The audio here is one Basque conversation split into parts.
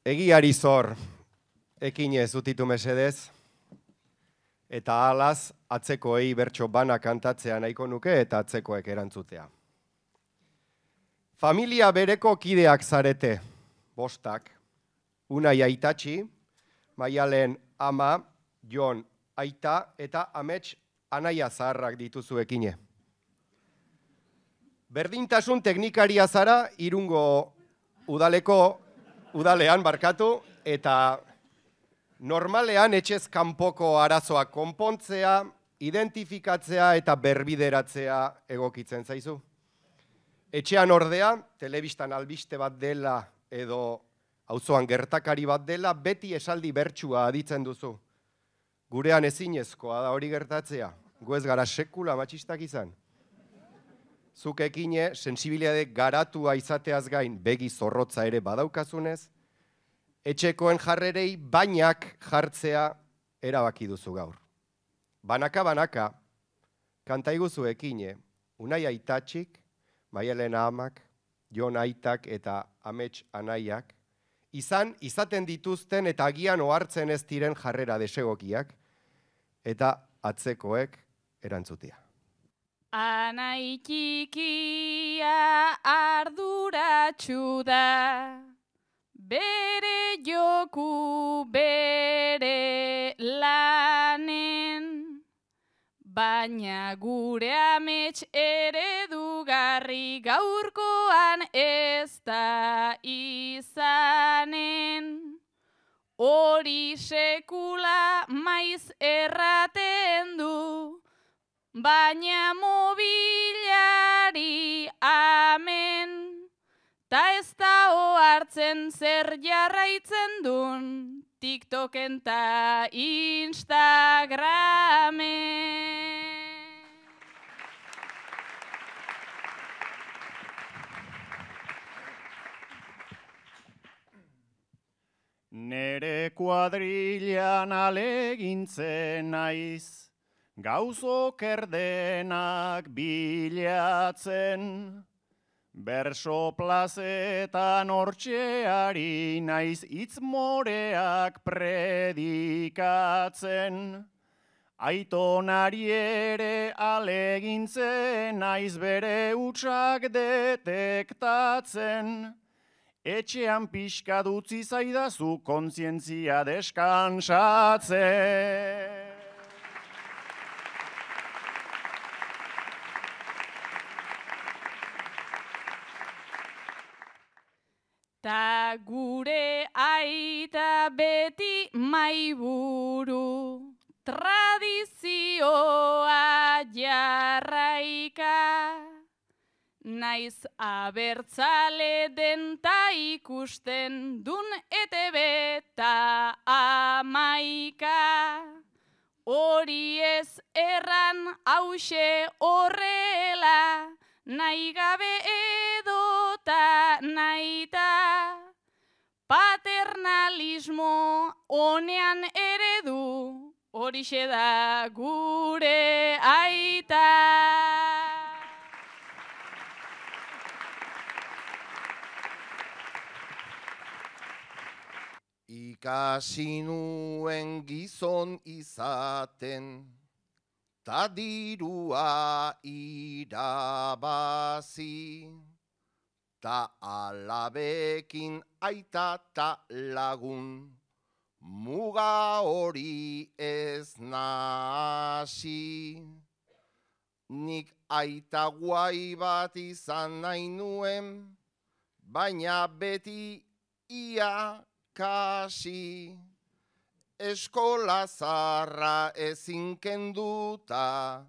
Egiari zor, ekinez utitu mesedez, eta halaz atzekoei bertso bana kantatzea nahiko nuke eta atzekoek erantzutea. Familia bereko kideak zarete, bostak, Unai Aitatxi, Maialen ama, Jon aita eta Amets anaia zaharrak dituzu ekine. Berdintasun teknikaria zara Irungo udalean barkatu, eta normalean etxez kanpoko arazoak konpontzea, identifikatzea eta berbideratzea egokitzen zaizu. Etxean ordea, telebistan albiste bat dela edo auzoan gertakari bat dela, beti esaldi bertsua aditzen duzu. Gurean ezinezkoa da hori gertatzea, gu ez gara sekula matxistak izan. Zuk ekine, sensibilitate garatua izateaz gain begi zorrotza ere badaukazunez, etxekoen jarrerei bainak jartzea erabaki duzu gaur. Banaka, kantaiguzu ekine, Unai Aitatxik, Maialen amak, Jon aitak eta Amets anaiak, izaten dituzten eta agian ohartzen ez diren jarrera desegokiak, eta atzekoek erantzutea. Anai txikia arduratsu da, bere joku bere lanen, baina gure amets eredugarri gaurkoan ez da izanen. Hori sekula maiz erraten du, baina mobilari amen, ta ez da ohartzen zer jarraitzen dun, TikToken ta Instagramen. Nere kuadrilan alegintzen naiz, gauzok erdenak bilatzen, berso plazetan hortxeari naiz hitz moreak predikatzen, aitonari ere alegintzen naiz bere hutsak detektatzen, etxean pixka dutzi zaidazu kontzientzia deskansatzen. Ta gure aita beti maiburu, tradizioa jarraika, naiz abertzale den ta ikusten dun ETB ta amaika. Hori ez erran hause horrela, nahi gabe edota nahita, paternalismo honean eredu, horixe da gure aita. Ikasi nuen gizon izaten, ta dirua irabazi, ta alabekin aita ta lagun, muga hori ez nasi. Nik aita guai bat izan nahi nuen, baina beti ia kasi. Eskola zarra ezin kenduta,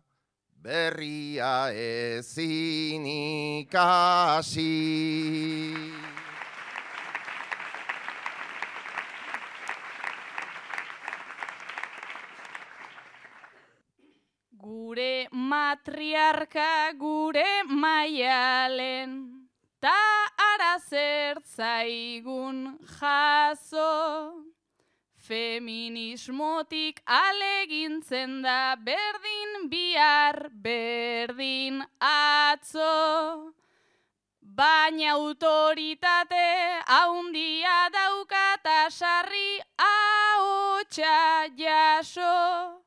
berria ezin ikasi. Gure matriarka gure Maialen, ta ara zertzaigun jaso. Feminismotik alegintzen da berdin bihar, berdin atzo. Baina autoritate haundia daukat sarri ahotsa jaso,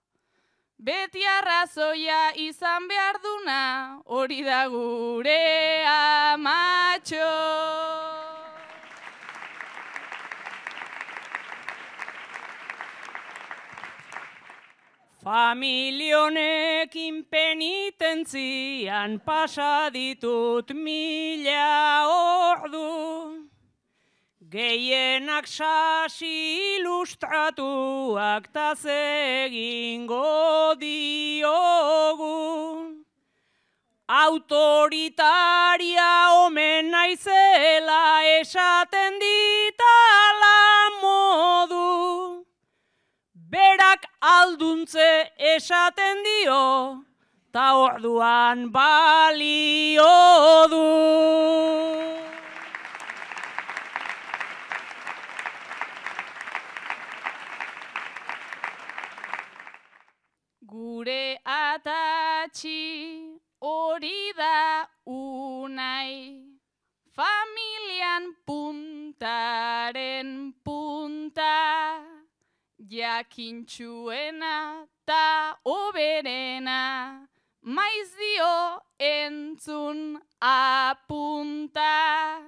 beti arrazoia izan behar duna, hori da gure amatxo. Familionekin penitentzian pasa ditut 1000 ordu, gehienak sasi ilustratuak taz egingo diogu. Autoritaria omen naizela esaten ditala modu, berak alduntze esaten dio, ta orduan balio du. Gure atatxi hori da unai, familian puntaren punta, jakintxuena ta oberena, maiz dio entzun apunta.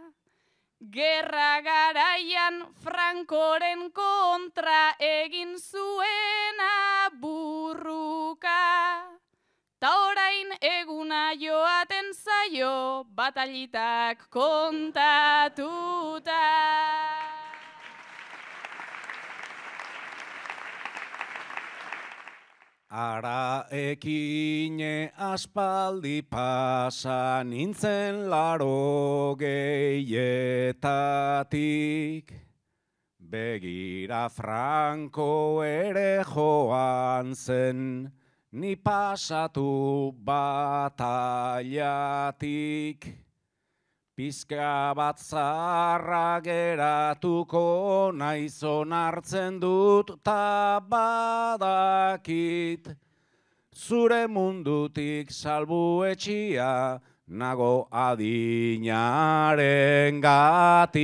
Gerra garaian Frankoren kontra egin zuena burruka, ta orain eguna joaten zaio batalitak kontatuta. Ara ekine aspaldi pasa nintzen 80etatik, begira Franko ere joan zen, ni pasatu batailatik. Pizka bat zarra geratuko naiz onartzen dut ta badakit, zure mundutik salbuetxia nago adinaren gatik.